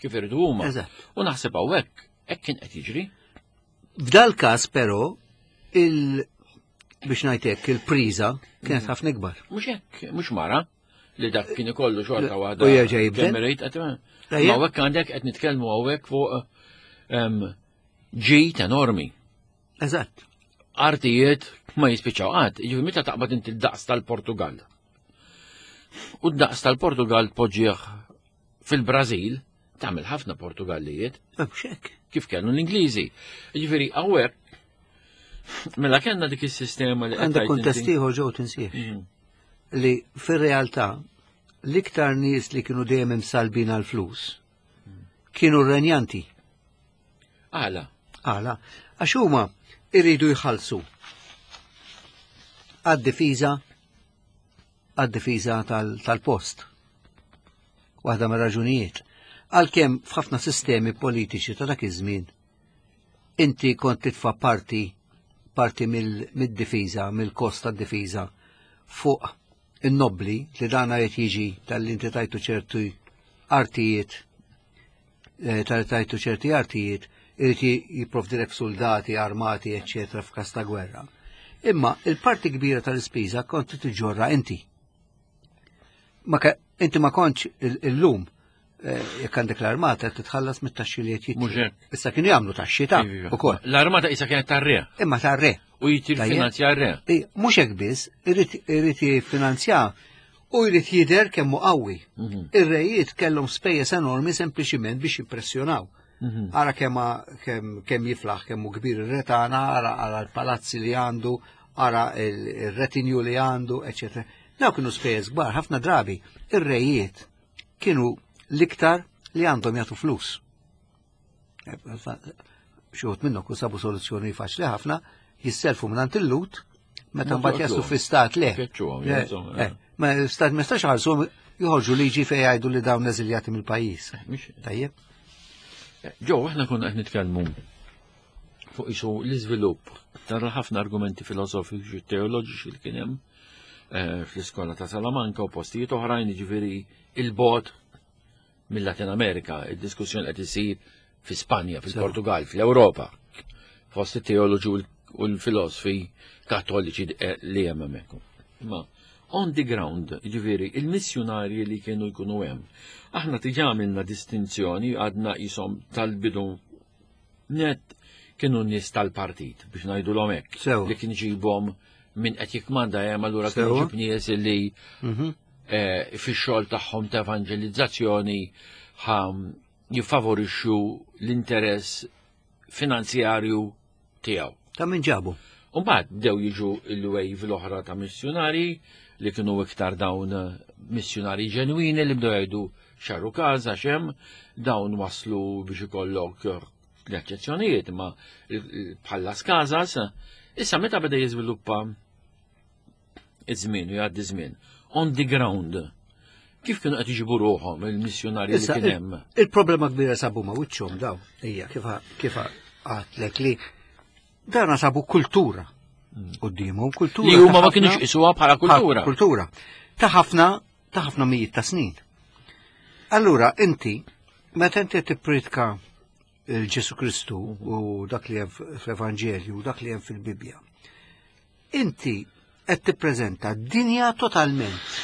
kif irridu huma. U naħseb hawnhekk hekk kien qed jiġri. F'dal każ però il biex ngħid hekk il-priża kienet ħafna ikbar. Mhux hekk, mhux mara li dak kien ikollu xorta waħda. U jerġa' jibdel. Ma hawnhekk għandek qed nitkellmu hawnhekk fuq ġid enormi. Eżatt. Artijiet ma jispiċċaw qatt, jiġifieri meta taqbad inti d-daqs tal-Portugal. U d-daqs tal-Portugal tpoġġih fil-Brażil, tagħmel ħafna Portugallijiet. Mhux hekk. Kif kellu l-Ingliżi. Jiġifieri hawnhekk mela kellna dik is-sistema li għandek kuntest ieħor ġew tinsiex. Mhm. Li fir-realtà l-iktar nies li kienu dejjem imsalbin għall-flus kienu r-renjanti. Għala? Għala, għax huma irridu jħallsu għad-difiża għad-difiża tal-post. Waħda mir-raġunijiet. Għalkemm f'ħafna sistemi politiċi ta' dak iż-żmien inti kont titfa' parti parti mid-difiża, mill-kost tad-difiża fuq in-nobbli li dana qed jiġi tal-li inti tajtu ċerti artijiet eh, tal tajtu ċerti artijiet irid jipprovdilek soldati, armati, eċċetera f'każ ta' gwerra. Imma il-parti kbira tal-ispiża kont tiġġorra inti. Ma inti ma kontx illum eh, jekk għandek l-armata titħallas mit-taxxi li qed jitlu. Issa kienu jagħmlu taxxi ta' iva. ukoll. L-armata issa kienet tar-re. Imma tar-re. U jitfinanzja r-re. Mhux hekk biss, irid jiffinanzja u jrid jidher kemm hu qawwi. Mhm. Ir-rejiet kellhom spejjeż enormi sempliċiment biex jimpressjonaw. Mhm. Ara kemm kemm jiflaħ kemm hu kbir ir-re tagħna, ara ara l-palazzi li għandu, ara il-retinju li għandu, eċetera. Daw kienu spejjeż kbar, ħafna drabi ir-rejiet kienu l-iktar li għandhom jagħtu flus. Xi wħud minnhom kun sabu soluzzjoni faċli ħafna, jisselfu minn il-lut, meta mbagħad jaslu fi stat le. Eh, ma stat ma jistax ħarsu joħorġu liġi fejn jgħidu li dawn eżiljati mill-pajjiż. Eh, Tajjeb. Eh, ġew, aħna konna qed nitkellmu fuq isu l-iżvilupp tara ħafna argumenti filosofiċi u teoloġiċi li kien hemm fl-iskola ta' Salamanca u postijiet oħrajn, jiġifieri il-bot mill-Latin Amerika, id-diskussjoni qed isir fi Spanja, fil-Portugal, fl-Ewropa, fost it-teoloġi u l-filosofi kattoliċi eh, li hemm hemmhekk. Ma on the ground, ġifieri, il-missjunarji li kienu jkunu hemm. Aħna diġà għamilna distinzjoni għadna jisom tal-bidu net kienu nies tal-partit biex ngħidu l hekk. Li kien ġibhom minn qed jikmanda hemm allura kien ġib nies li mhm. eh, fix-xogħol tagħhom ta' evanġelizzazzjoni jiffavorixxu l-interess finanzjarju tiegħu. Ta' min ġabu? Umbagħad bdew jiġu l-wave l-oħra ta' missjonari li kienu iktar dawn missjonari ġenwini li bdew jgħidu xarru każ għax hemm dawn waslu biex ikollok l-eċċezzjonijiet ma bħal Las Casas. Issa meta beda jiżviluppa iż-żmien u jgħaddi żmien on the ground kif kienu qed iġibu ruħhom il-missjonarji li kien hemm? Il-problema kbira sabu ma wiċċhom daw, hija kif kif għatlek li dana sabu kultura quddiemhom, kultura. Li huma ma kienux isuha bħala kultura. Kultura. Ta' ħafna ta' ħafna mijiet ta' snin. Allura inti meta inti tippritka il-Ġesu Kristu u dak li hemm fl-Evanġelju u dak li hemm fil-Bibbja. Inti qed tippreżenta dinja totalment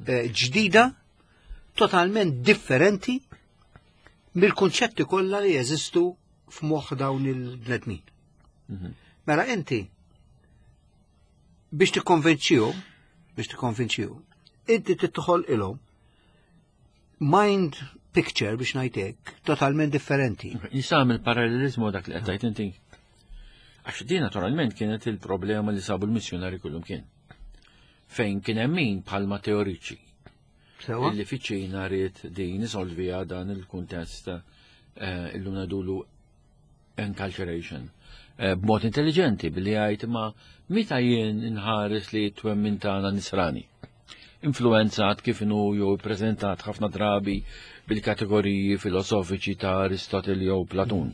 eh, ġdida, totalment differenti mill-kunċetti kollha li jeżistu f'moħħ dawn il-bnedmin. Mhm. Mela inti biex tikkonvinċihom, biex tikkonvinċihom, inti titħol ilhom mind picture biex ngħidlek totalment differenti. Nista' nagħmel parallelizmu dak li qed tgħid inti. Għax din naturalment kienet il-problema li sabu l-missjonari kullum kien. Fejn kien hemm min bħalma teoriċi. Illi fiċ-Ċina ried din isolvija dan il-kuntest eh, illum ngħidulu enculturation eh, b'mod intelligenti billi jgħid ma meta jien inħares li twemmin tagħna nisrani. Influenzat kif inhu jew ippreżentat ħafna drabi bil-kategoriji filosofiċi ta' Aristotle jew Platun.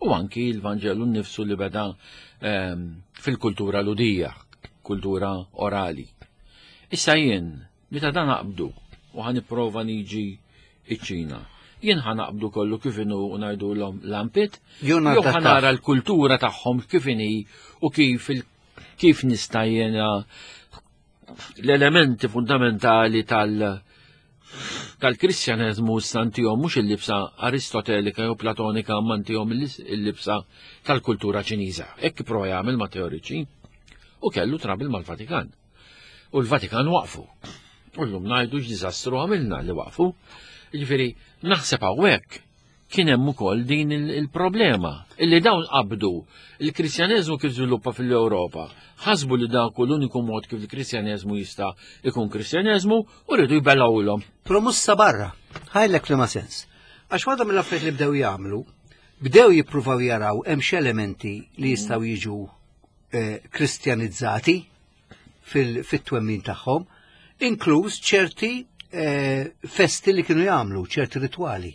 U anki l-Vanġelu nnifsu li beda ehm, fil-kultura ludija. kultura orali. Issa jien, meta dan aqbdu u ħa nipprova niġi iċ-Ċina, jien ħa naqbdu kollu kif inhu u ngħidulhom lampit, jew ħa nara l-kultura tagħhom kif inhi u kif kif nista' jiena l-elementi fundamentali tal- tal-Kristjaneżmu stantihom mhux il-libsa Aristotelika jew Platonika imma ntihom il-libsa tal-kultura Ċiniża. Hekk prova jagħmel ma' teoriċi u kellu trabil mal-Vatikan. U l-Vatikan waqfu. U llum ngħidu x'diżastru għamilna li waqfu. Jiġifieri naħseb hawnhekk kien hemm ukoll din il-problema illi dawn qabdu il-Kristjaneżmu kif żviluppa fil-Ewropa. Ħasbu li dak l-uniku mod kif il-Kristjaneżmu jista' ikun Kristjaneżmu u rridu jbelgħulhom. Però mhux sa barra, ħajlek li ma sens. Għax waħda mill-affarijiet li bdew jagħmlu, bdew jippruvaw jaraw hemm elementi li jistgħu jiġu eh, kristjanizzati fit-twemmin tagħhom, inkluż ċerti eh, festi li kienu jagħmlu, ċerti ritwali.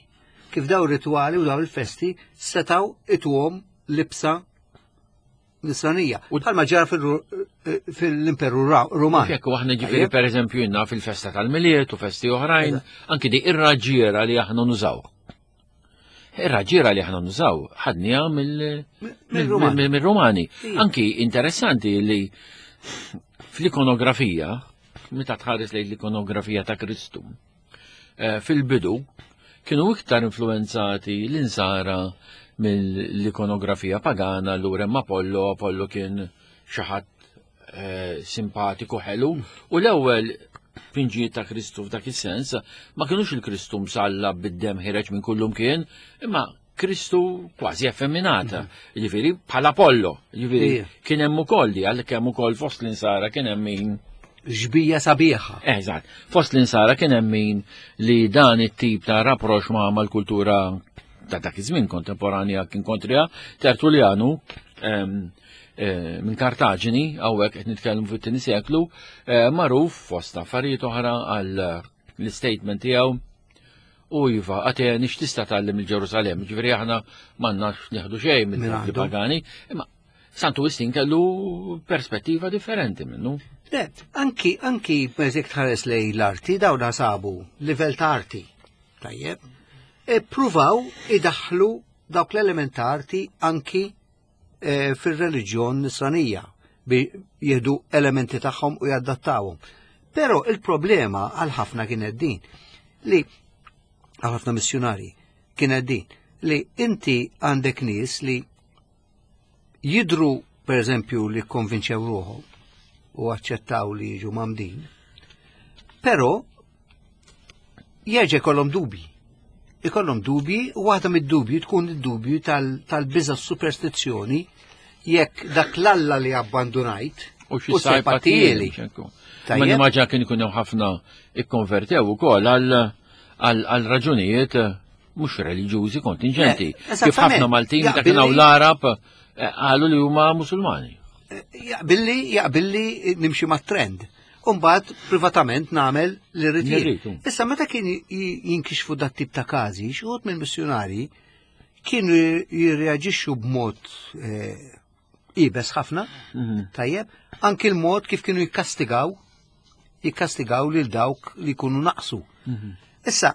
Kif daw ritwali u daw il-festi setaw ituhom libsa nisranija. U bħalma ġara eh, fil-Imperu Ruman. Jekk aħna ġifieri pereżempju jenna fil-festa tal-Milied u festi oħrajn, anki di ir-raġġiera li aħna nużaw. Ir-raġġiera li aħna nużaw ħadniha mill-Rumani. Anki interessanti li fl-ikonografija, meta tħares lejn l-ikonografija ta' Kristu, eh, fil-bidu kienu iktar influenzati l-insara mill-ikonografija pagana l hemm Apollo, Apollo kien xi ħadd eh, simpatiku ħelu u l-ewwel pinġijiet ta' Kristu f'dak is-sens ma kienux il-Kristu msalla bid-dem ħireġ minn kullum kien, imma Kristu kważi effeminata, mhm. ġifieri bħala Apollo, ġifieri kien hemm ukoll li għalhekk hemm ukoll fost l-insara kien hemm min ġbija sabiħa. Eżatt, fost l-insara kien hemm min li dan it-tip ta' rapprox ma' mal-kultura ta' dak iż-żmien kontemporanja kien kontrija Tertullianu Eh, minn Kartaġini, hawnhekk qed nitkellmu fit-tieni seklu, eh, magħruf fost affarijiet oħra għal l-statement tiegħu u iva, Ateni x'tista' tgħallem il-Ġerusalem, ġifieri aħna m'għandnax nieħdu xejn mill pagani, imma Santu Wistin kellu perspettiva differenti minnu. Le, anki, anki, per tħares lej l-arti, dawna sabu livell ta' arti. Tajjeb. E pruvaw idaħlu dawk l-element ta' arti anki eh, fir-reliġjon nisranija bi jieħdu elementi tagħhom u jadattawhom. Però il-problema għal ħafna kienet din li għal ħafna missjonari kienet din li inti għandek nies li jidru per eżempju li konvinċew ruħhom u aċċettaw li jiġu mamdin, però jerġa' jkollhom dubji. Ikollhom dubji u waħda mid-dubji tkun id-dubju tal-biża superstizzjoni jekk dak l-alla li abbandunajt u xi sajpatieli. Ma nimmaġina kien ikun hemm ħafna ikkonvertew ukoll għal raġunijiet mhux reliġjużi kontinġenti. Eh, Kif ħafna Maltin meta kienu l-Arab eh, qalu li huma Musulmani. Eh, jaqbilli, jaqbilli nimxi mat-trend. Umbagħad privatament nagħmel li rrid jien. Issa meta kien jinkixfu dat tip ta' każi, xi wħud mill-missjunarji kienu jirreaġixxu b'mod eh, ibes ħafna, mhm. tajjeb, anki l-mod kif kienu jikkastigaw, jikkastigaw lil dawk li jkunu naqsu. Mhm. Issa,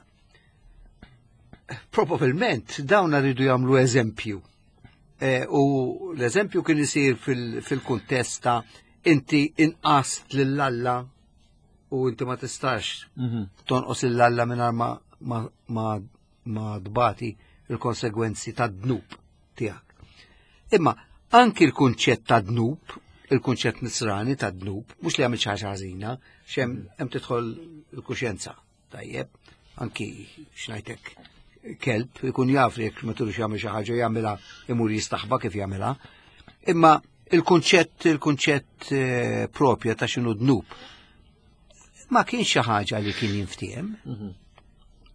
probabilment dawn rridu jagħmlu eżempju. Eh, u l-eżempju kien isir fil-kuntest ta' inti inqast lil Alla u inti ma tistax mhm. tonqos lil Alla mingħajr ma, ma, ma, ma tbati il-konsegwenzi ta' dnub tiegħek. Imma anki l-kunċett ta' dnub, il-kunċett nisrani ta' dnub, mhux li għamil xi ħaġa ħażina, xem hemm tidħol il-kuxjenza. Tajjeb, anki xnajtek kelb ikun jaf li jekk ma turux jagħmel xi ħaġa jagħmilha imur jistaħba kif jagħmilha. Imma il-kunċett il-kunċett eh, propja ta' x'inhu dnub ma kienx xi ħaġa li kien jinftiehem mhm.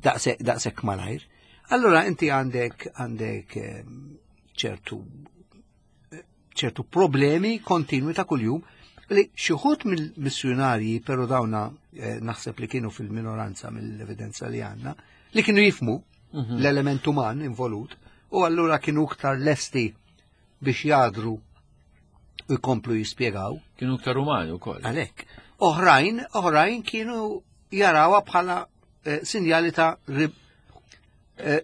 daqshekk malajr. Allura inti għandek għandek eh, ċertu ċertu problemi kontinwi ta' kuljum li xi wħud mill-missjunarji però dawna eh, naħseb li kienu fil-minoranza mill-evidenza li għandna li kienu jifmu mhm. l-element uman involut u allura kienu iktar lesti biex jadru u jkomplu jispjegaw. Kienu iktar umani wkoll. Għalhekk. Oħrajn, oħrajn kienu jarawha bħala eh, sinjali ta' eh,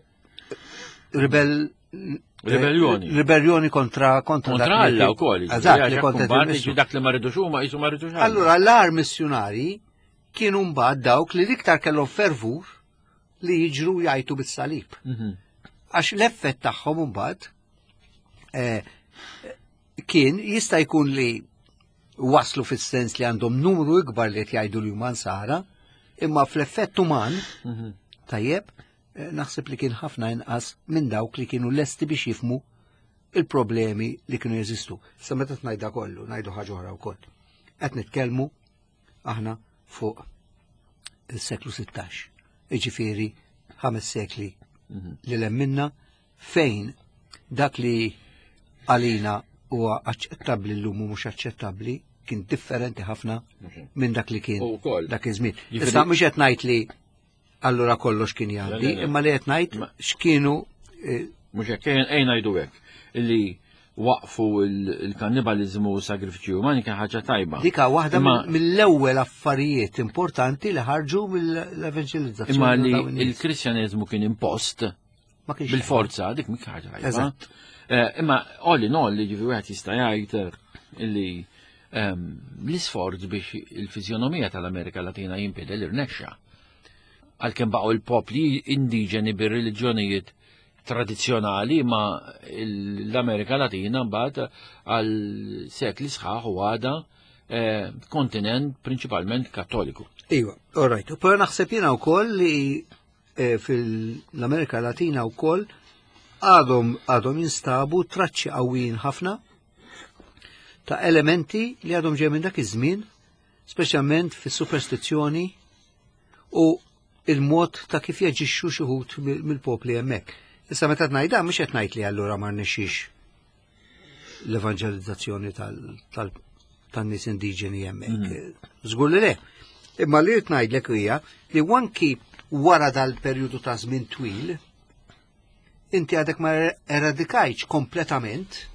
ribel Rebellioni. Rebellioni kontra kontra kontra Alla wkoll. Eżatt, li kontra dak li ma rridux huma jisu ma rridux. Allura l-ar missjunari kienu mbagħad dawk li l-iktar kellhom fervur li jiġru jgħajtu bis-salib. Mhm. Għax l-effett tagħhom mbagħad eh, kien jista' jkun li waslu fis-sens li għandhom numru ikbar li qed jgħidu li huma nsara, imma fl-effett uman, mhm. tajjeb, eh, naħseb li kien ħafna inqas minn dawk li kienu lesti biex jifmu il-problemi li kienu jeżistu. Sa meta tnajda kollu, ngħidu ħaġa oħra wkoll. Qed nitkellmu aħna fuq il-seklu 16, iġifieri ħames sekli mhm. li lemminna fejn dak li għalina huwa aċċettabbli llum u mhux aċċettabbli kien differenti ħafna minn dak li kien dak iż-żmien. Issa mhux qed ngħid li allura kollox kien jgħaddi, imma li qed ngħid x'kienu eh, Mhux hekk ejn ngħidu hekk illi waqfu il-kannibalizmu u sagrifiċi umani kien ħaġa tajba. Dika waħda mill-ewwel affarijiet importanti li ħarġu mill-evanġelizzazzjoni. Imma li il-Kristjaneżmu kien impost Bil-forza, dik mhix ħaġa tajba. Eh, imma all in all, ġifi wieħed jista' jgħid eh, li ehm, l-isforz biex il-fizjonomija tal-Amerika Latina jinbidel irnexxa. Għalkemm baqgħu l-popli indiġeni bir-reliġjonijiet tradizzjonali ma l-Amerika Latina mbagħad għal sekli sħaħ u għada eh, kontinent prinċipalment kattoliku. Iva, all right. U però naħseb jiena wkoll li Eh, fil-Amerika Latina wkoll għadhom għadhom jinstabu traċċi qawwijin ħafna ta' elementi li għadhom ġej minn dak iż-żmien, speċjalment fis-superstizzjoni u il-mod ta' kif jaġixxu xi wħud mill-popli hemmhekk. Issa meta ngħidha mhux qed ngħid li allura ma rnexxix l-evanġelizzazzjoni tan-nies indiġeni hemmhekk. Mhm. Żgur li le. Imma li rrid ngħidlek hija li wanki wara dal-perjodu ta' żmien twil, inti għadek ma eradikajtx kompletament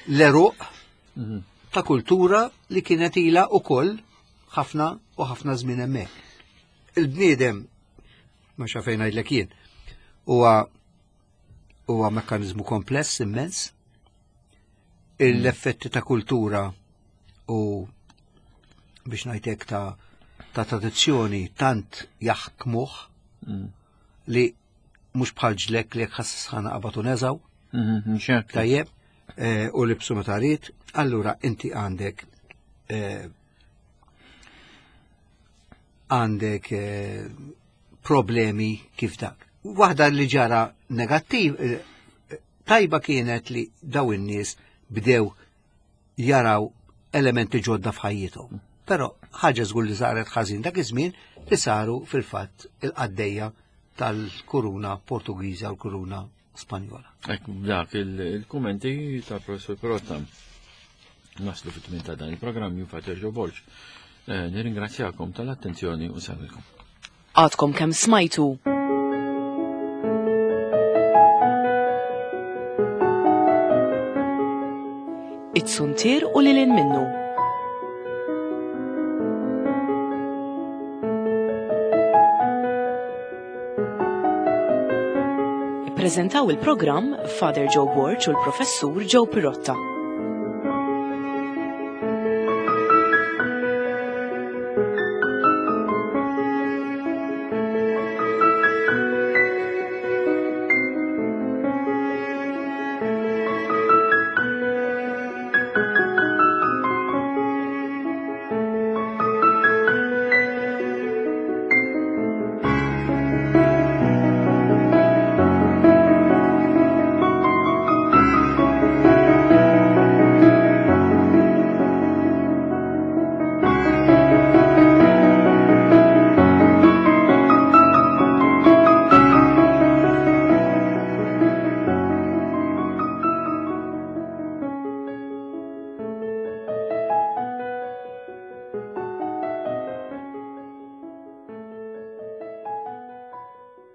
l-eruq mhm. ta' kultura li kienet ila ukoll ħafna u ħafna żmien hemmhekk. Il-bniedem ma xafejn ngħidlek jien, huwa huwa mekkaniżmu kompless immens. L-effetti ta' kultura u biex ngħidlek ta' ta' tradizzjoni tant jaħkmuh mm. li mhux bħal ġlek li jekk ħass sħana qabad u neżaw. Mm-hmm, Tajjeb, eh, u libsu meta rrid, allura inti għandek eh, għandek eh, problemi kif dak. Waħda li ġara negattiv, eh, tajba kienet li daw in-nies bdew jaraw elementi ġodda f'ħajjithom. Però ħaġa żgur li saret ħażin dak iż-żmien li saru fil-fatt il-qaddejja tal-kuruna Portugiża u l-kuruna Spanjola. Ek dak il-kummenti tal-professor Perotta. Naslu fit-tmien ta' dan il-programm jien Fater Joe Borg. Eh, nirringrazzjakom tal-attenzjoni u nsellilkom. Għadkom kemm smajtu It-suntier u lilin minnu. Ippreżentaw il-programm Father Joe Borg u l-Professur Joe Pirotta.